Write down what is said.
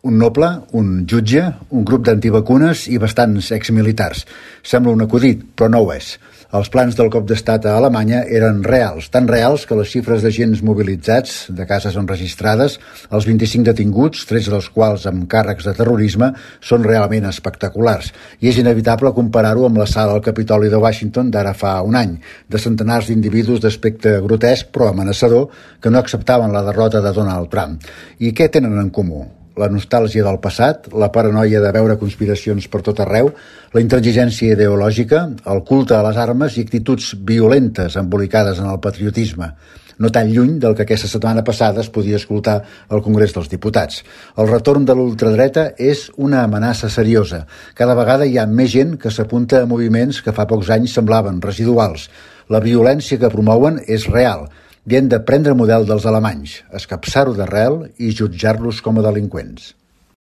Un noble, un jutge, un grup d'antivacunes i bastants exmilitars. Sembla un acudit, però no ho és. Els plans del cop d'estat a Alemanya eren reals, tan reals que les xifres d'agents mobilitzats, de cases enregistrades, els 25 detinguts, 13 dels quals amb càrrecs de terrorisme, són realment espectaculars. I és inevitable comparar-ho amb l'assalt al Capitoli de Washington d'ara fa un any, de centenars d'individus d'aspecte grotesc però amenaçador que no acceptaven la derrota de Donald Trump. I què tenen en comú? La nostàlgia del passat, la paranoia de veure conspiracions per tot arreu, la intransigència ideològica, el culte a les armes i actituds violentes embolicades en el patriotisme, no tan lluny del que aquesta setmana passada es podia escoltar al Congrés dels Diputats. El retorn de l'ultradreta és una amenaça seriosa. Cada vegada hi ha més gent que s'apunta a moviments que fa pocs anys semblaven residuals. La violència que promouen és real. I hem de prendre model dels alemanys, escapçar-ho d'arrel i jutjar-los com a delinqüents.